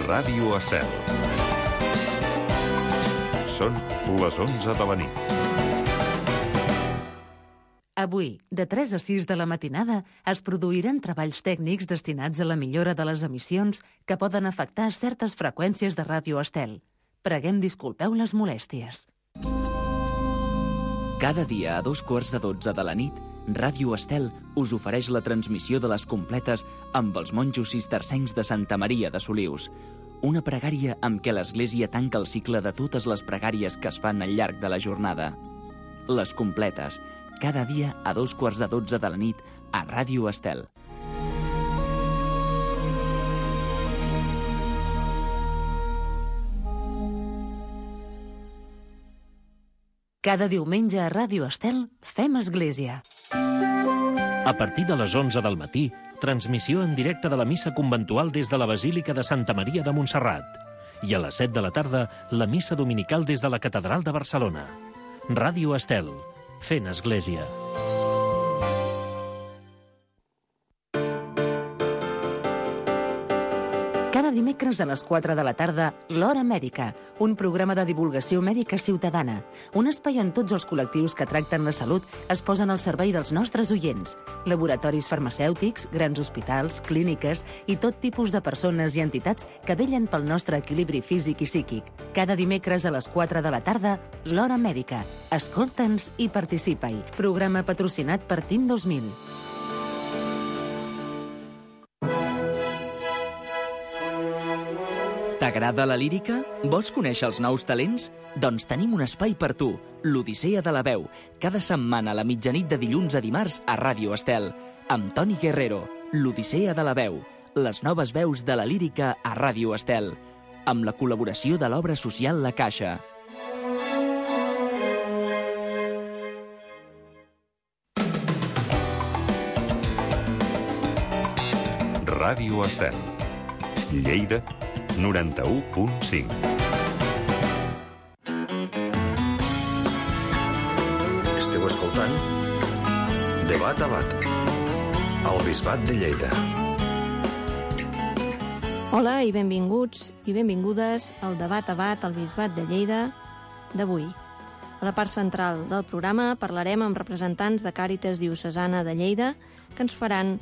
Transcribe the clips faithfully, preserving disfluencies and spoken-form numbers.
Ràdio Estel. Són les onze de la nit. Avui, de tres a sis de la matinada, es produiran treballs tècnics destinats a la millora de les emissions que poden afectar certes freqüències de Ràdio Estel. Preguem disculpeu les molèsties. Cada dia a dos quarts de dotze de la nit, Ràdio Estel us ofereix la transmissió de les completes amb els monjos cistercencs de Santa Maria de Solius. Una pregària amb què l'Església tanca el cicle de totes les pregàries que es fan al llarg de la jornada. Les completes, cada dia a dos quarts de dotze de la nit a Ràdio Estel. Cada diumenge a Ràdio Estel fem església. A partir de les onze del matí, transmissió en directe de la missa conventual des de la Basílica de Santa Maria de Montserrat. I a les set de la tarda, la missa dominical des de la Catedral de Barcelona. Ràdio Estel, fent església. Cada dimecres a les quatre de la tarda, l'Hora Mèdica, un programa de divulgació mèdica ciutadana. Un espai on tots els col·lectius que tracten la salut es posen al servei dels nostres oients. Laboratoris farmacèutics, grans hospitals, clíniques i tot tipus de persones i entitats que vellen pel nostre equilibri físic i psíquic. Cada dimecres a les quatre de la tarda, l'Hora Mèdica. Escolta'ns i participa-hi. Programa patrocinat per Team dos mil. T'agrada la lírica? Vols conèixer els nous talents? Doncs tenim un espai per tu, l'Odissea de la Veu, cada setmana a la mitjanit de dilluns a dimarts a Ràdio Estel, amb Toni Guerrero, l'Odissea de la Veu, les noves veus de la lírica a Ràdio Estel, amb la col·laboració de l'obra social La Caixa. Ràdio Estel. Lleida, noranta-u punt cinc. Esteu escoltant Debat a Bat, al Bisbat de Lleida. Hola i benvinguts i benvingudes al Debat a Bat, al Bisbat de Lleida d'avui. A la part central del programa parlarem amb representants de Càritas Diocesana de Lleida que ens faran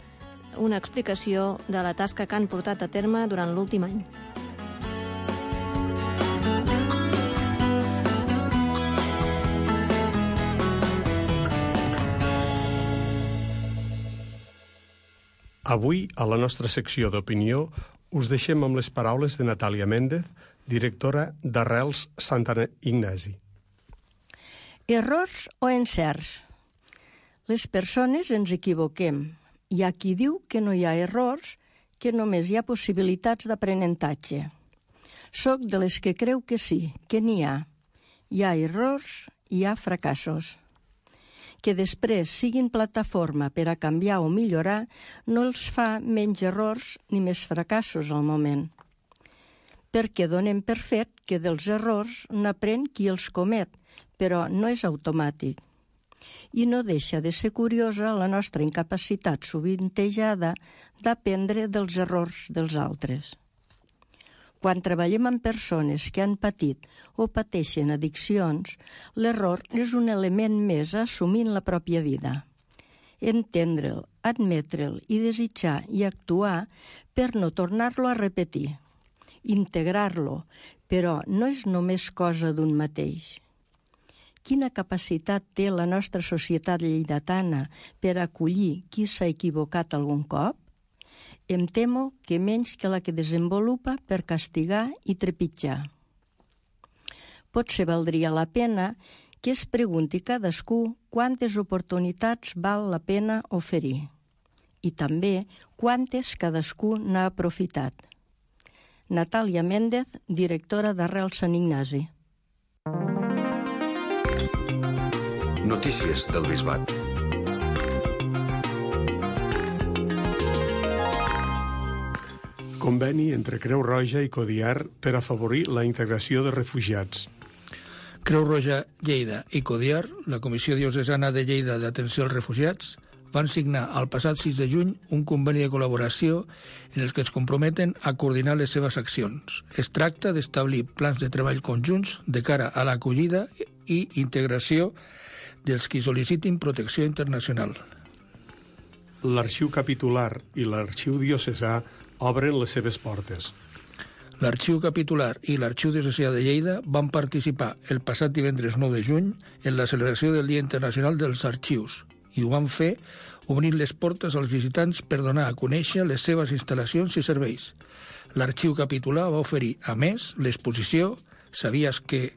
una explicació de la tasca que han portat a terme durant l'últim any. Avui, a la nostra secció d'opinió, us deixem amb les paraules de Natàlia Méndez, directora d'Arrels Sant Ignasi. Errors o encerts? Les persones ens equivoquem. Hi ha qui diu que no hi ha errors, que només hi ha possibilitats d'aprenentatge. Soc de les que creu que sí, que n'hi ha. Hi ha errors, hi ha fracassos. Que després siguin plataforma per a canviar o millorar no els fa menys errors ni més fracassos al moment. Perquè donem per fet que dels errors n'aprèn qui els comet, però no és automàtic. I no deixa de ser curiosa la nostra incapacitat sovintejada d'aprendre dels errors dels altres. Quan treballem amb persones que han patit o pateixen addiccions, l'error és un element més a assumir en la pròpia vida. Entendre'l, admetre'l i desitjar i actuar per no tornar-lo a repetir. Integrar-lo, però no és només cosa d'un mateix. Quina capacitat té la nostra societat lleidatana per acollir qui s'ha equivocat algun cop? Em temo que menys que la que desenvolupa per castigar i trepitjar. Potser valdria la pena que es pregunti cadascú quantes oportunitats val la pena oferir i també quantes cadascú n'ha aprofitat. Natàlia Méndez, directora d'Arrels Sant Ignasi. Notícies del Bisbat. Conveni entre Creu Roja i Codiar per afavorir la integració de refugiats. Creu Roja Lleida i Codiar, la Comissió Diocesana de Lleida d'Atenció als Refugiats, van signar el passat sis de juny un conveni de col·laboració en el que es comprometen a coordinar les seves accions. Es tracta d'establir plans de treball conjunts de cara a l'acollida i integració dels qui sol·licitin protecció internacional. L'Arxiu Capitular i l'Arxiu Diocesà obren les seves portes. L'Arxiu Capitular i l'Arxiu Diocesà de Lleida van participar el passat divendres nou de juny en la celebració del Dia Internacional dels Arxius i ho van fer obrint les portes als visitants per donar a conèixer les seves instal·lacions i serveis. L'Arxiu Capitular va oferir, a més, l'exposició «Sabies que?»,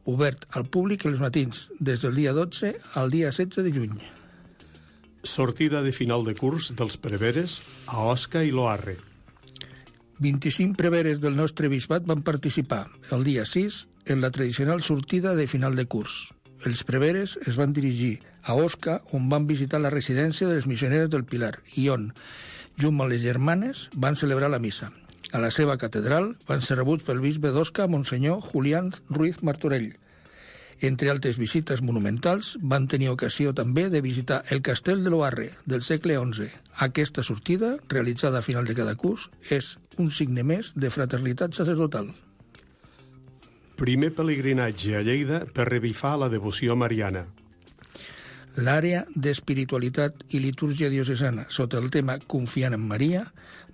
obert al públic els matins des del dia dotze al dia setze de juny. Sortida de final de curs dels preveres a Osca i Loarre. vint-i-cinc preveres del nostre bisbat van participar el dia sis en la tradicional sortida de final de curs. Els preveres es van dirigir a Osca, on van visitar la residència de les missioneres del Pilar i on, junt amb les germanes, van celebrar la missa. A la seva catedral van ser rebuts pel bisbe d'Osca, Monsenyor Julián Ruiz Martorell. Entre altres visites monumentals, van tenir ocasió també de visitar el castell de Loarre, del segle onze. Aquesta sortida, realitzada a final de cada curs, és un signe més de fraternitat sacerdotal. Primer pelegrinatge a Lleida per revifar la devoció mariana. L'àrea d'espiritualitat i litúrgia diocesana, sota el tema Confiant en Maria,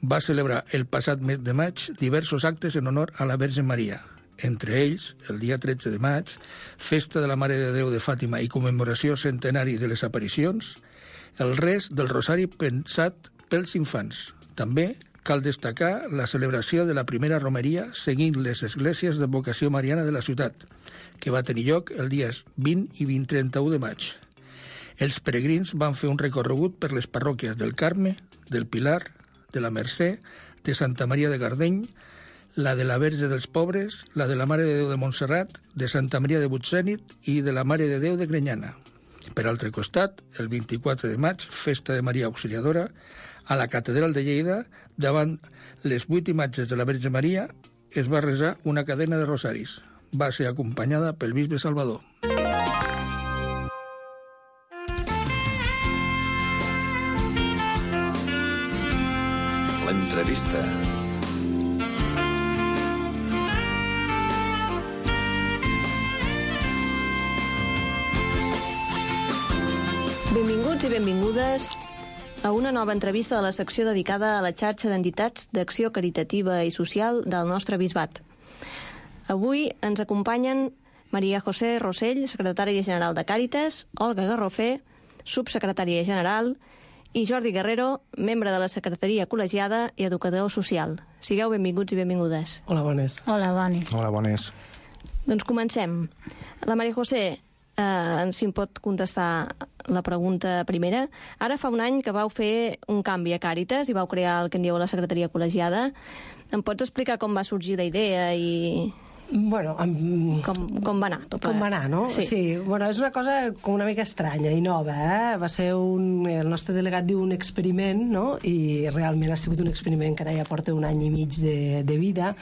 va celebrar el passat mes de maig diversos actes en honor a la Verge Maria. Entre ells, el dia tretze de maig, Festa de la Mare de Déu de Fàtima i commemoració centenari de les aparicions, el rest del rosari pensat pels infants. També cal destacar la celebració de la primera romeria seguint les esglésies de vocació mariana de la ciutat, que va tenir lloc el dies vint i vint trenta-u de maig. Els peregrins van fer un recorregut per les parròquies del Carme, del Pilar, de la Mercè, de Santa Maria de Gardeny, la de la Verge dels Pobres, la de la Mare de Déu de Montserrat, de Santa Maria de Butzènit i de la Mare de Déu de Grenyana. Per altre costat, el vint-i-quatre de maig, Festa de Maria Auxiliadora, a la Catedral de Lleida, davant les vuit imatges de la Verge Maria, es va resar una cadena de rosaris. Va ser acompanyada pel bisbe Salvador. L'entrevista. Benvinguts i benvingudes a una nova entrevista de la secció dedicada a la xarxa d'entitats d'acció caritativa i social del nostre bisbat. Avui ens acompanyen Maria José Rossell, secretària general de Càritas, Olga Garrofé, subsecretària general, i Jordi Guerrero, membre de la secretaria col·legiada i educador social. Sigueu benvinguts i benvingudes. Hola, bones. Hola, bones. Hola, bones. Doncs comencem. La Maria José, eh, si em pot contestar la pregunta primera. Ara fa un any que vau fer un canvi a Càritas i vau crear el que en dieu la secretaria col·legiada. Em pots explicar com va sorgir la idea i... Bueno, amb... com, com va anar tot plegat? Com va anar, no? Sí. sí. Bueno, és una cosa com una mica estranya i nova, eh? Va ser un... El nostre delegat diu un experiment, no? I realment ha sigut un experiment que ara ja porta un any i mig de, de vida.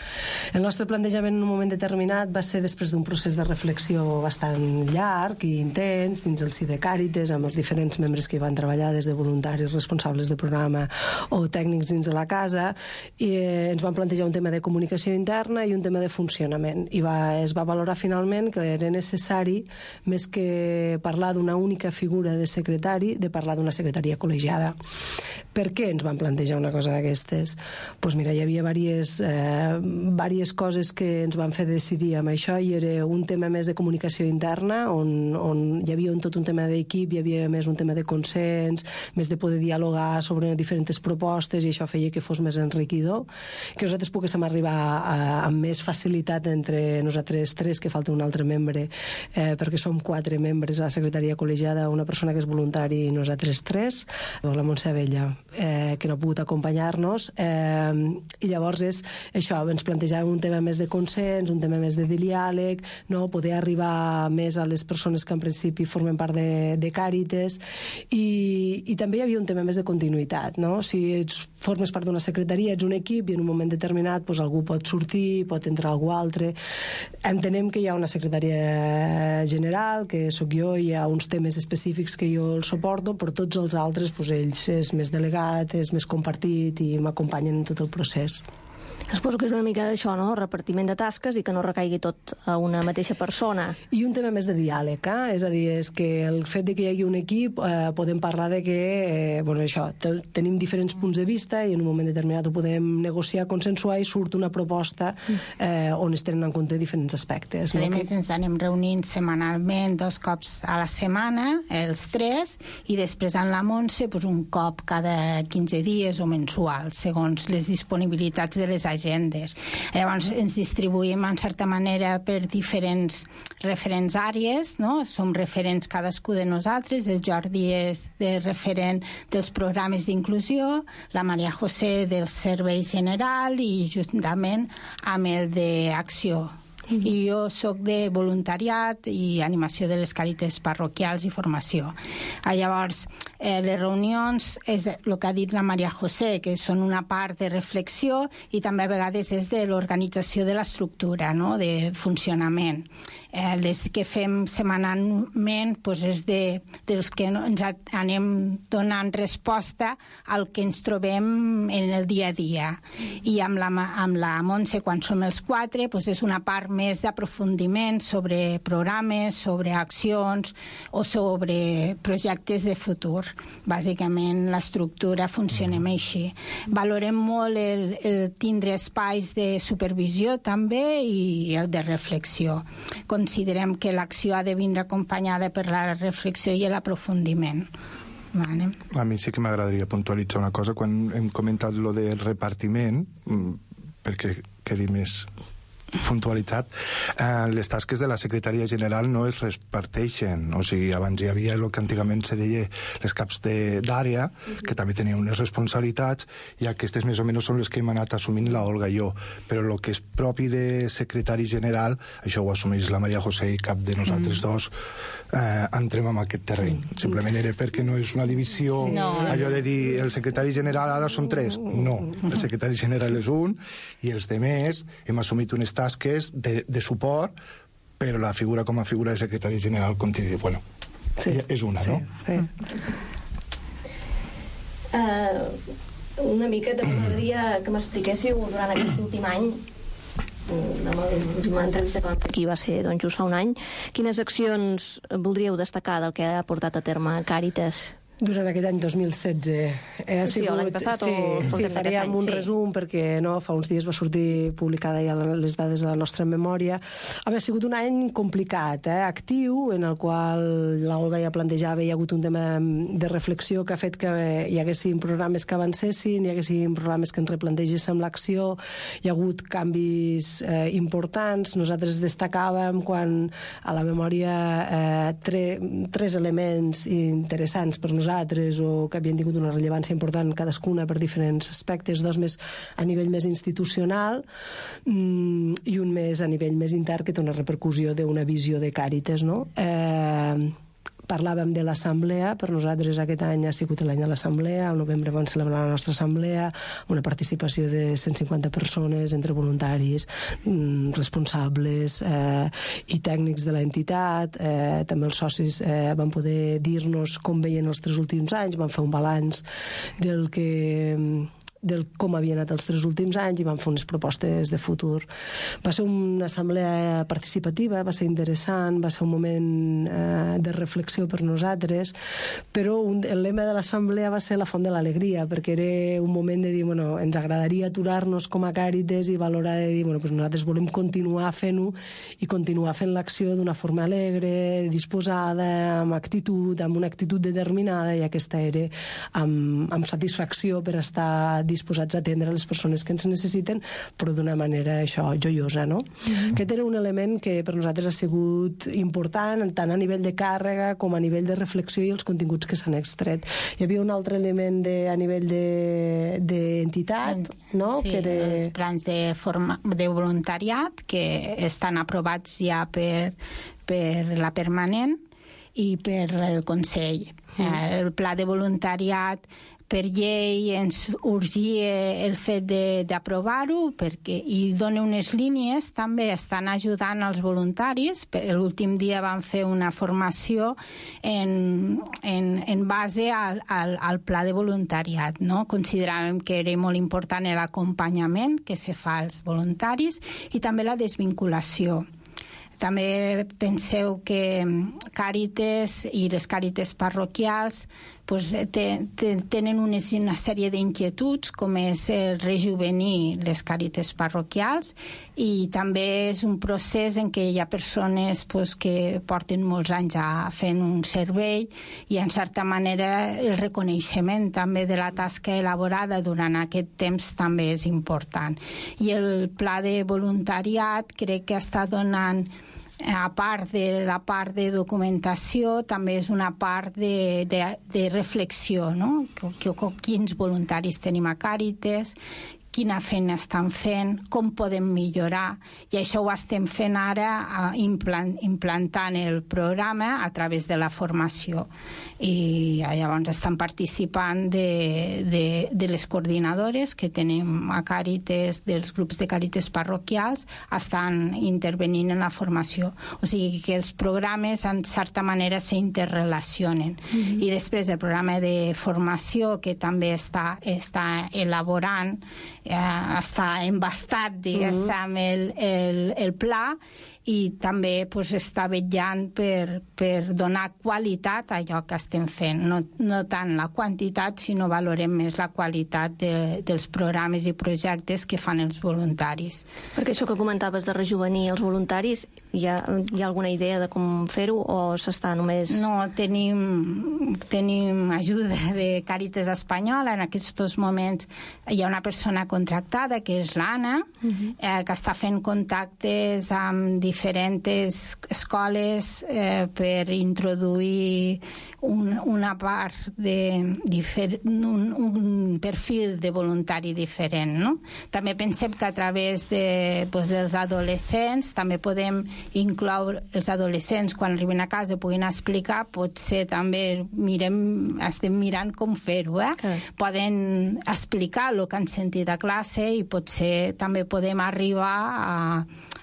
El nostre plantejament en un moment determinat va ser després d'un procés de reflexió bastant llarg i intens dins el si de Càritas, amb els diferents membres que hi van treballar, des de voluntaris, responsables de programa o tècnics dins de la casa, i eh, ens van plantejar un tema de comunicació interna i un tema de funcionament. I va, es va valorar finalment que era necessari, més que parlar d'una única figura de secretari, de parlar d'una secretaria col·legiada. Per què ens van plantejar una cosa d'aquestes? Doncs mira, hi havia diverses, eh, diverses coses que ens van fer decidir amb això, i era un tema més de comunicació interna, on, on hi havia un, tot un tema d'equip, hi havia més un tema de consens, més de poder dialogar sobre diferents propostes, i això feia que fos més enriquidor, que nosaltres poguéssim arribar a, amb més facilitat entre nosaltres tres, que falta un altre membre, eh, perquè som quatre membres a la secretaria col·legiada, una persona que és voluntari i nosaltres tres, la Montse Abella, eh, que no ha pogut acompanyar-nos, eh, i llavors és això, ens plantejàvem un tema més de consens, un tema més de diàleg, no? Poder arribar més a les persones que en principi formen part de, de Càritas, i, i també hi havia un tema més de continuïtat, no? Si ets, formes part d'una secretaria, ets un equip i en un moment determinat doncs, algú pot sortir, pot entrar algú altre. Entenem que hi ha una secretària general, que sóc jo, hi ha uns temes específics que jo el suporto, però tots els altres, doncs, ells és més delegat, és més compartit i m'acompanyen en tot el procés. Suposo que és una mica d'això, no? Repartiment de tasques i que no recaigui tot a una mateixa persona. I un tema més de diàleg, eh? És a dir, és que el fet de que hi hagi un equip eh, podem parlar de que, eh, bueno, això, tenim diferents punts de vista i en un moment determinat ho podem negociar, consensuar i surt una proposta eh, on es tenen en compte diferents aspectes. No? A més, ens anem reunint setmanalment dos cops a la setmana, els tres, i després en la Montse pues, un cop cada quinze dies o mensual, segons les disponibilitats de les agendes. Llavors ens distribuïm en certa manera per diferents referents àrees, no? Som referents cadascú de nosaltres, el Jordi és de referent dels programes d'inclusió, la Maria José del servei general i juntament amb el d'acció. I jo sóc de voluntariat i animació de les càritas parroquials i formació. Llavors, eh, les reunions és el que ha dit la Maria José, que són una part de reflexió i també a vegades és de l'organització de l'estructura, no? De funcionament. Eh, les que fem setmanalment pues, és de, dels que ens anem donant resposta al que ens trobem en el dia a dia. I amb la, amb la Montse, quan som els quatre, pues, és una part més d'aprofundiment sobre programes, sobre accions o sobre projectes de futur. Bàsicament, l'estructura funcionem així. Valorem molt el, el tindre espais de supervisió també i el de reflexió. Considerem que l'acció ha de vindre acompanyada per la reflexió i l'aprofundiment. Vale. A mi sí que m'agradaria puntualitzar una cosa. Quan hem comentat lo del repartiment, perquè quedi més puntualitzat, eh, les tasques de la secretaria general no es reparteixen, o sigui, abans hi havia el que antigament se deia les caps d'àrea, que també tenien unes responsabilitats, i aquestes més o menys són les que hem anat assumint la Olga i jo, però el que és propi de secretari general, això ho assumeix la Maria José i cap de nosaltres mm. dos eh, entrem en aquest terreny. Simplement era perquè no és una divisió, no. allò de dir el secretari general ara són tres, no, el secretari general és un i els demés hem assumit unes tasques de, de suport, però la figura com a figura de secretari general continua, bueno, sí. és una, sí. no? Sí. Uh, una mica també m'agradaria que m'expliquéssiu durant aquest últim any, amb l'última entrevista que vam fer aquí va ser doncs, just fa un any, quines accions voldríeu destacar del que ha portat a terme Càritas? Durant aquest any dos mil setze. Eh, ha sí, sigut, l'any passat sí, o sí, faríem un sí. resum perquè no, fa uns dies va sortir publicada ja les dades de la nostra memòria. Ha sigut un any complicat, eh, actiu, en el qual l'Olga ja plantejava, hi ha hagut un tema de, de reflexió que ha fet que hi haguessin programes que avancessin, hi haguessin programes que ens replantegéssim l'acció, hi ha hagut canvis eh, importants. Nosaltres destacàvem quan a la memòria eh, tre, tres elements interessants per nosaltres o que havien tingut una rellevància important cadascuna per diferents aspectes, dos més a nivell més institucional mmm, i un més a nivell més intern que té una repercussió d'una visió de Càritas, no? Eh, parlàvem de l'assemblea, per nosaltres aquest any ha sigut l'any de l'assemblea, al novembre vam celebrar la nostra assemblea, una participació de cent cinquanta persones entre voluntaris, mmm, responsables eh, i tècnics de l'entitat, eh, també els socis eh, van poder dir-nos com veien els tres últims anys, van fer un balanç del que del com havien anat els tres últims anys i van fer unes propostes de futur. Va ser una assemblea participativa, va ser interessant, va ser un moment eh, de reflexió per nosaltres, però un, el lema de l'assemblea va ser la font de l'alegria, perquè era un moment de dir, bueno, ens agradaria aturar-nos com a Càritas i valorar de dir, bueno, pues nosaltres volem continuar fent-ho i continuar fent l'acció d'una forma alegre, disposada, amb actitud, amb una actitud determinada, i aquesta era amb, amb satisfacció per estar disposats a atendre les persones que ens necessiten, però d'una manera, això, joiosa, no? Mm-hmm. Aquest era un element que per nosaltres ha sigut important, tant a nivell de càrrega com a nivell de reflexió i els continguts que s'han extret. Hi havia un altre element de, a nivell d'entitat, de, no? Sí, que era... els plans de, forma, de voluntariat que estan aprovats ja per, per la permanent i per el Consell. Mm. El pla de voluntariat per llei ens urgia el fet d'aprovar-ho perquè i dona unes línies, també estan ajudant els voluntaris. L'últim dia van fer una formació en, en, en base al, al, al pla de voluntariat, no? Consideràvem que era molt important l'acompanyament que se fa als voluntaris i també la desvinculació. També penseu que Càritas i les Càritas parroquials pues, te, te, tenen unes, una sèrie d'inquietuds, com és el rejuvenir les Càritas parroquials, i també és un procés en què hi ha persones pues, que porten molts anys a fent un servei i, en certa manera, el reconeixement també de la tasca elaborada durant aquest temps també és important. I el pla de voluntariat crec que està donant, a part de la part de documentació, també és una part de, de, de reflexió, no? Quins voluntaris tenim a Càritas, quina feina estan fent, com podem millorar, i això ho estem fent ara implant, implantant el programa a través de la formació. I llavors estan participant de, de, de les coordinadores que tenim a Càritas, dels grups de Càritas parroquials, estan intervenint en la formació. O sigui que els programes en certa manera s'interrelacionen. Mm-hmm. I després el programa de formació que també està, està elaborant, eh, està embastat, diguéssim, mm-hmm. el, el, el pla, i també pues, està vetllant per, per donar qualitat a allò que estem fent. No, no tant la quantitat, sinó valorem més la qualitat de, dels programes i projectes que fan els voluntaris. Perquè això que comentaves de rejuvenir els voluntaris, hi ha, hi ha alguna idea de com fer-ho o s'està només... No, tenim, tenim ajuda de Càritas Espanyola. En aquests moments hi ha una persona contractada, que és l'Anna, uh-huh. eh, que està fent contactes amb diferents escoles eh, per introduir un, una part de difer, un, un perfil de voluntari diferent, no? També pensem que a través de, pues, dels adolescents també podem incloure els adolescents quan arriben a casa puguin explicar, potser també mirem, estem mirant com fer-ho, eh? Okay. Poden explicar el que han sentit a classe i potser també podem arribar a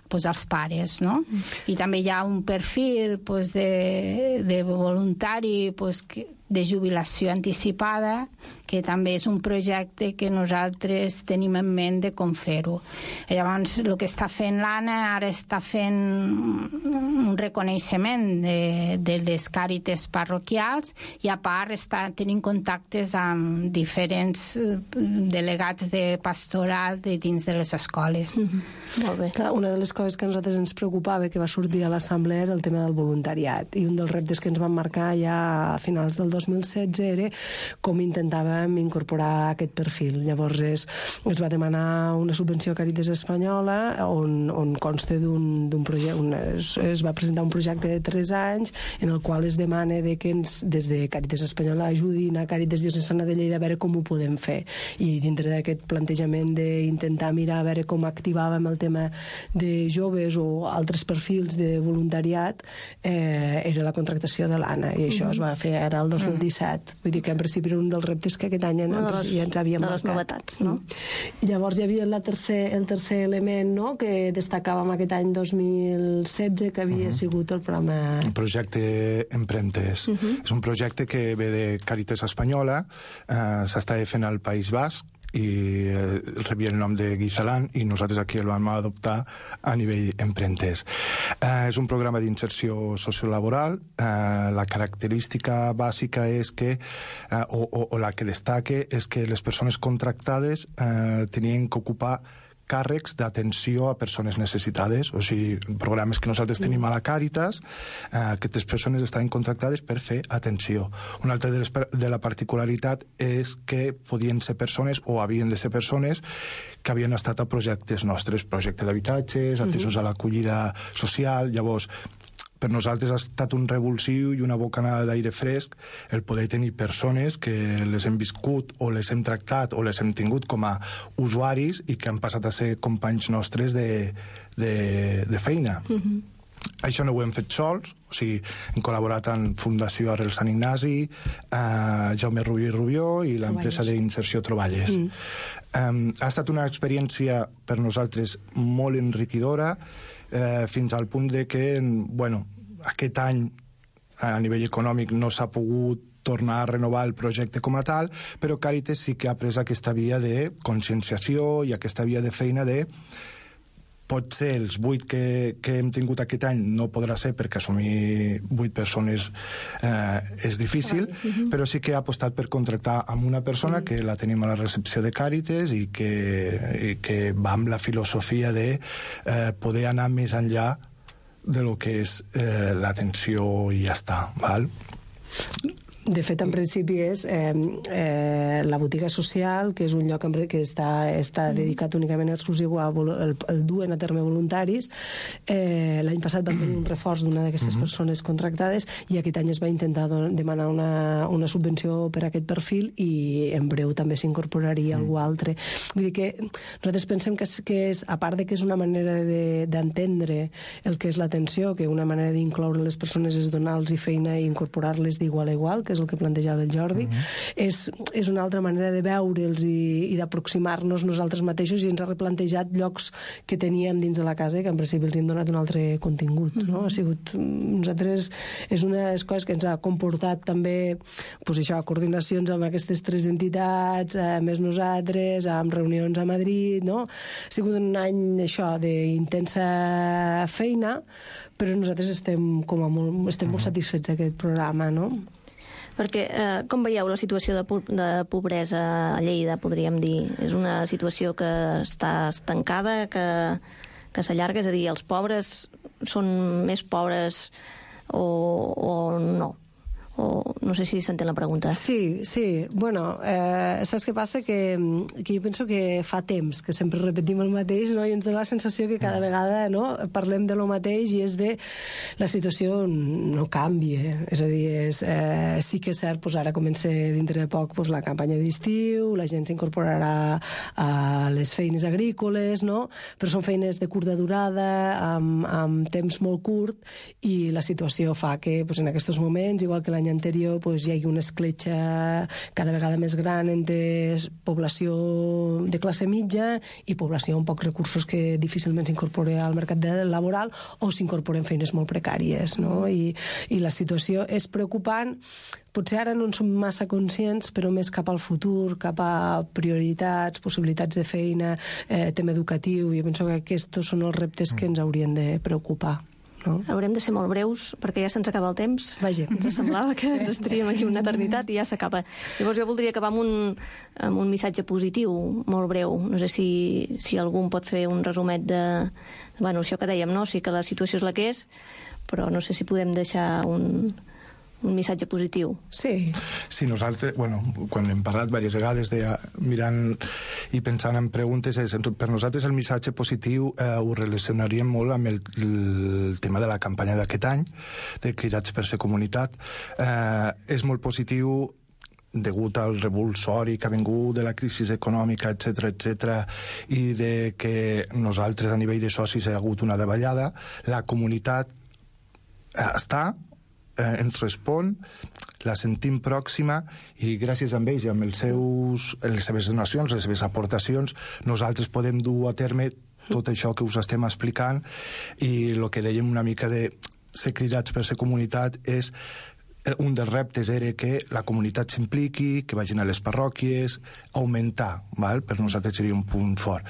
pues, als pares, no? Mm. I també hi ha un perfil pues, de, de voluntari pues, que, de jubilació anticipada, que també és un projecte que nosaltres tenim en ment de com fer-ho. Llavors, el que està fent l'Anna, ara està fent un reconeixement de, de les Càritas parroquials i, a part, està tenint contactes amb diferents delegats de pastoral de dins de les escoles. Mm-hmm. Molt bé. Clar, una de les coses que a nosaltres ens preocupava que va sortir a l'assemblea era el tema del voluntariat, i un dels reptes que ens van marcar ja a finals del dos mil setze era com intentàvem incorporar aquest perfil. Llavors es, es va demanar una subvenció a Càritas Espanyola on, on consta d'un projecte, un, es, es va presentar un projecte de tres anys en el qual es demana de que ens, des de Càritas Espanyola ajudin a Càritas Diocesana de Lleida a veure com ho podem fer, i dintre d'aquest plantejament d'intentar mirar a veure com activàvem el tema de joves o altres perfils de voluntariat, eh, era la contractació de l'Anna, i això mm-hmm. es va fer ara el dos mil disset. Vull dir que en principi era un dels reptes que aquest any en, no, les, ja ens havíem marcat. De les novetats, no? I llavors hi havia la tercer, el tercer element, no?, que destacàvem aquest any dos mil setze, que havia uh-huh. sigut el programa... El projecte Emprentes. Uh-huh. És un projecte que ve de Càritas Espanyola, eh, s'està fent al País Basc, i eh, rebia el nom de Guizalan i nosaltres aquí el vam adoptar a nivell emprentes. Eh, és un programa d'inserció sociolaboral. Eh, la característica bàsica és que, eh, o, o, o la que destaque, és que les persones contractades eh, tenien que ocupar càrrecs d'atenció a persones necessitades, o sigui, programes que nosaltres tenim a la Càritas, eh, aquestes persones estaven contractades per fer atenció. Una altra de, les, de la particularitat és que podien ser persones, o havien de ser persones, que havien estat a projectes nostres, projecte d'habitatges, atesos a l'acollida social. Llavors, per nosaltres ha estat un revulsiu i una bocanada d'aire fresc el poder tenir persones que les hem viscut o les hem tractat o les hem tingut com a usuaris i que han passat a ser companys nostres de, de, de feina. Mm-hmm. Això no ho hem fet sols, o sigui, hem col·laborat amb Fundació Arrel Sant Ignasi, eh, Jaume Rubio i Rubió i l'empresa d'inserció Troballes. Mm. Um, ha estat una experiència per nosaltres molt enriquidora, eh, fins al punt de que, bueno, aquest any a nivell econòmic no s'ha pogut tornar a renovar el projecte com a tal, però Càritas sí que ha pres aquesta via de conscienciació i aquesta via de feina de potser els vuit que, que hem tingut aquest any no podrà ser perquè assumir vuit persones eh, és difícil, uh-huh. però sí que ha apostat per contractar amb una persona uh-huh. que la tenim a la recepció de Càritas i que, i que va amb la filosofia de eh, poder anar més enllà de lo que és eh, l'atenció i ja està, val? De fet, en principi és eh, eh, la botiga social, que és un lloc que està, està dedicat únicament exclusiu a el, el duen a terme voluntaris. Eh, L'any passat vam tenir un reforç d'una d'aquestes mm-hmm. persones contractades i aquest any es va intentar demanar una, una subvenció per a aquest perfil i en breu també s'incorporaria mm. algú altre. Vull dir que nosaltres pensem que és, que és a part de que és una manera d'entendre de, el que és l'atenció, que una manera d'incloure les persones és donar-los feina i incorporar-les d'igual a igual, que és el que plantejava el Jordi, uh-huh. és, és una altra manera de veure'ls i, i d'aproximar-nos nosaltres mateixos i ens ha replantejat llocs que teníem dins de la casa i que en principi els hem donat un altre contingut. Uh-huh. No? Ha sigut, nosaltres, és una de les coses que ens ha comportat també pues això, coordinacions amb aquestes tres entitats, eh, més nosaltres, amb reunions a Madrid, no? Ha sigut un any això d'intensa feina, però nosaltres estem, com a molt, estem molt satisfets d'aquest programa, no? Perquè, eh, com veieu la situació de, po de pobresa a Lleida, podríem dir? És una situació que està estancada, que, que s'allarga? És a dir, els pobres són més pobres o, o no? O no sé si s'entén la pregunta. Sí, sí. Bueno, eh, saps què passa? Que, que jo penso que fa temps que sempre repetim el mateix, no? I ens dona la sensació que cada vegada, no, parlem de lo mateix i és de la situació no canvia. És a dir, és, eh, sí que és cert, pues ara comença dintre de poc pues, la campanya d'estiu, la gent s'incorporarà a les feines agrícoles, no? Però són feines de curta durada, amb, amb temps molt curt, i la situació fa que pues, en aquests moments, igual que l'any anterior, pues, hi hagi una escletxa cada vegada més gran entre població de classe mitja i població amb pocs recursos que difícilment s'incorpora al mercat laboral o s'incorporen feines molt precàries, no? I, i la situació és preocupant. Potser ara no en som massa conscients, però més cap al futur, cap a prioritats, possibilitats de feina, eh, tema educatiu. Jo penso que aquests són els reptes que ens haurien de preocupar. No? Haurem de ser molt breus perquè ja se'ns acaba el temps. Vaja. Ens semblava que sí. ens estaríem aquí una eternitat i ja s'acaba. Llavors jo voldria acabar amb un, amb un missatge positiu, molt breu. No sé si, si algú pot fer un resumet de... Bueno, això que dèiem, no? Sí que la situació és la que és, però no sé si podem deixar un... un missatge positiu. Sí. Sí, nosaltres, bueno, quan hem parlat diverses vegades de mirant i pensant en preguntes, és, per nosaltres el missatge positiu eh, ho relacionaríem molt amb el, el tema de la campanya d'aquest any, de Cridats per ser comunitat. Eh, és molt positiu degut al revulsori que ha vingut de la crisi econòmica, etcètera, etcètera, i de que nosaltres a nivell de socis hi ha hagut una davallada. La comunitat eh, està, Eh, ens respon, la sentim pròxima i gràcies a ells i amb els seus, les seves donacions, les seves aportacions, nosaltres podem dur a terme tot això que us estem explicant i el que dèiem una mica de ser cridats per ser comunitat és un dels reptes era que la comunitat s'impliqui, que vagin a les parròquies, augmentar, val? Per nosaltres seria un punt fort.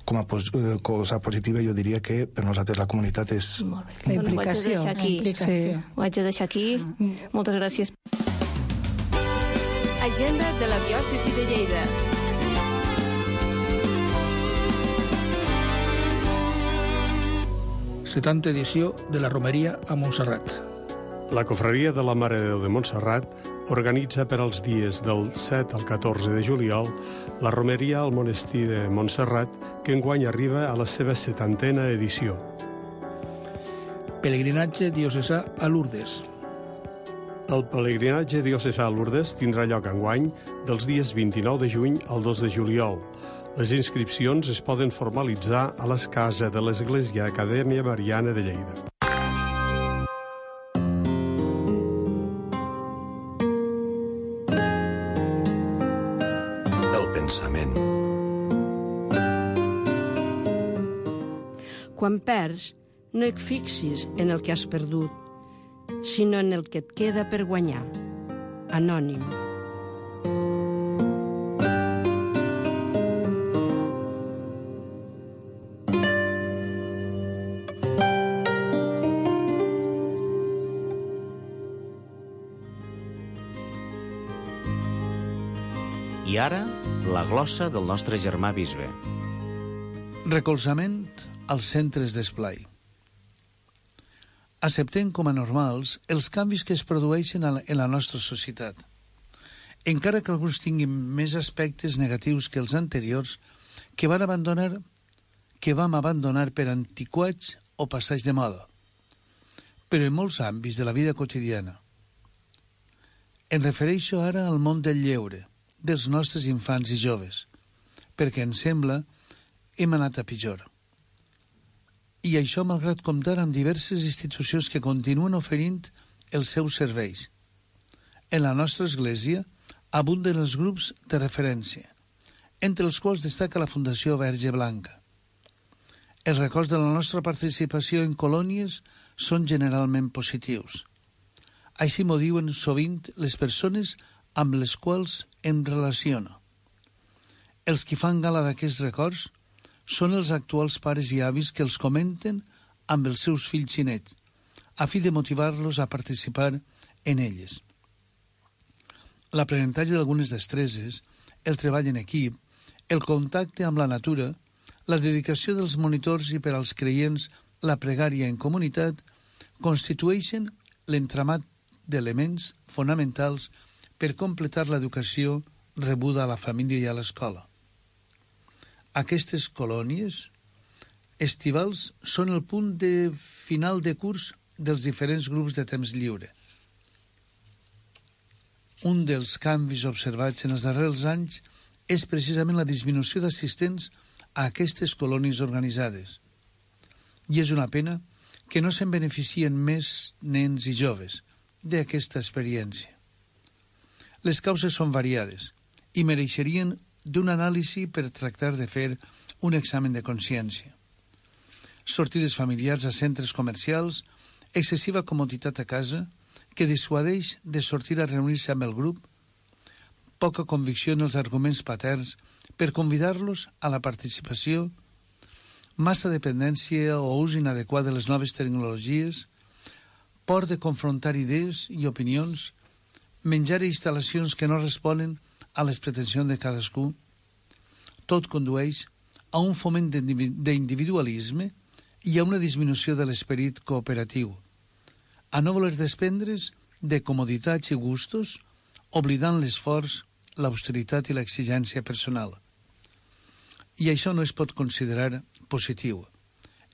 Com a pos cosa positiva jo diria que per nosaltres la comunitat és... Molt bé. La implicació. Ho haig de deixar aquí. Implicació. Sí. Ho haig de deixar aquí. Mm. Moltes gràcies. Agenda de la diòcesi de Lleida. setanta edició de la Romeria a Montserrat. La Cofreria de la Mare de Déu de Montserrat organitza per als dies del set al catorze de juliol la romeria al monestir de Montserrat, que enguany arriba a la seva setantena edició. Pelegrinatge diocesà a Lourdes. El pelegrinatge diocesà a Lourdes tindrà lloc enguany dels dies vint-i-nou de juny al dos de juliol. Les inscripcions es poden formalitzar a les cases de l'Església Acadèmia Mariana de Lleida. El pensament. Quan perds, no et fixis en el que has perdut, sinó en el que et queda per guanyar. Anònim. I ara, la glossa del nostre germà bisbe. Recolzament als centres d'esplai. Acceptem com a normals els canvis que es produeixen en la nostra societat. Encara que alguns tinguin més aspectes negatius que els anteriors, que van abandonar, que vam abandonar per antiquats o passats de moda, però en molts àmbits de la vida quotidiana. Em refereixo ara al món del lleure, dels nostres infants i joves, perquè em sembla hem anat a pitjor. I això malgrat comptar amb diverses institucions que continuen oferint els seus serveis. En la nostra església abunden els grups de referència, entre els quals destaca la Fundació Verge Blanca. Els records de la nostra participació en colònies són generalment positius. Així m'ho diuen sovint les persones amb les quals em relaciono. Els qui fan gala d'aquests records són els actuals pares i avis que els comenten amb els seus fills i nets, a fi de motivar-los a participar en elles. L'aprenentatge d'algunes destreses, el treball en equip, el contacte amb la natura, la dedicació dels monitors i per als creients la pregària en comunitat constitueixen l'entramat d'elements fonamentals per completar l'educació rebuda a la família i a l'escola. Aquestes colònies estivals són el punt de final de curs dels diferents grups de temps lliure. Un dels canvis observats en els darrers anys és precisament la disminució d'assistents a aquestes colònies organitzades. I és una pena que no se'n beneficien més nens i joves d'aquesta experiència. Les causes són variades i mereixerien d'un anàlisi per tractar de fer un examen de consciència. Sortides familiars a centres comercials, excessiva comoditat a casa, que dissuadeix de sortir a reunir-se amb el grup, poca convicció en els arguments paterns per convidar-los a la participació, massa dependència o ús inadequat de les noves tecnologies, por de confrontar idees i opinions, menjar instal·lacions que no responen a les pretensions de cadascú, tot condueix a un foment d'individualisme i a una disminució de l'esperit cooperatiu, a no voler desprendre's de comoditats i gustos, oblidant l'esforç, l'austeritat i l'exigència personal. I això no es pot considerar positiu,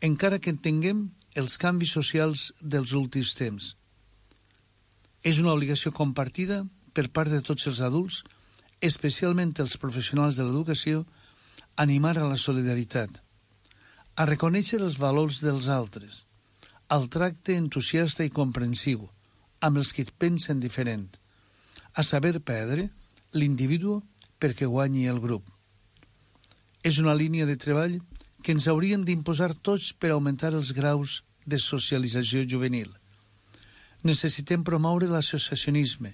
encara que entenguem els canvis socials dels últims temps. És una obligació compartida per part de tots els adults, especialment els professionals de l'educació, animar a la solidaritat, a reconèixer els valors dels altres, al tracte entusiasta i comprensiu amb els que pensen diferent, a saber perdre l'individu perquè guanyi el grup. És una línia de treball que ens hauríem d'imposar tots per augmentar els graus de socialització juvenil. necessitem promoure l'associacionisme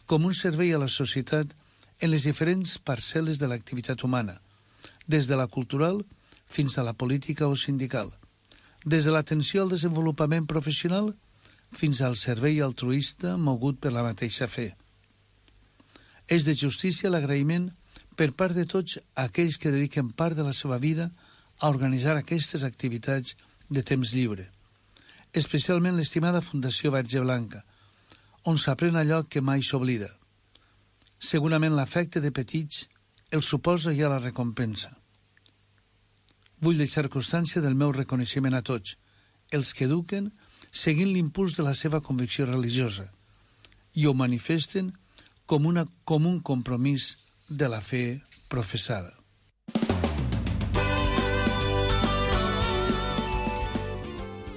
com un servei a la societat en les diferents parcel·les de l'activitat humana, des de la cultural fins a la política o sindical, des de l'atenció al desenvolupament professional fins al servei altruista mogut per la mateixa fe. És de justícia l'agraïment per part de tots aquells que dediquen part de la seva vida a organitzar aquestes activitats de temps lliure, especialment l'estimada Fundació Verge Blanca, on s'aprèn allò que mai s'oblida. Segurament l'afecte de petits el suposa ja la recompensa. Vull deixar constància del meu reconeixement a tots, els que eduquen seguint l'impuls de la seva convicció religiosa i ho manifesten com, una, com un compromís de la fe professada.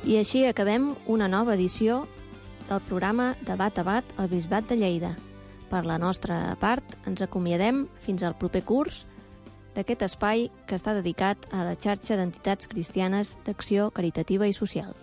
I així acabem una nova edició del programa Debat a Bat al Bisbat de Lleida. Per la nostra part, ens acomiadem fins al proper curs d'aquest espai que està dedicat a la xarxa d'entitats cristianes d'acció caritativa i social.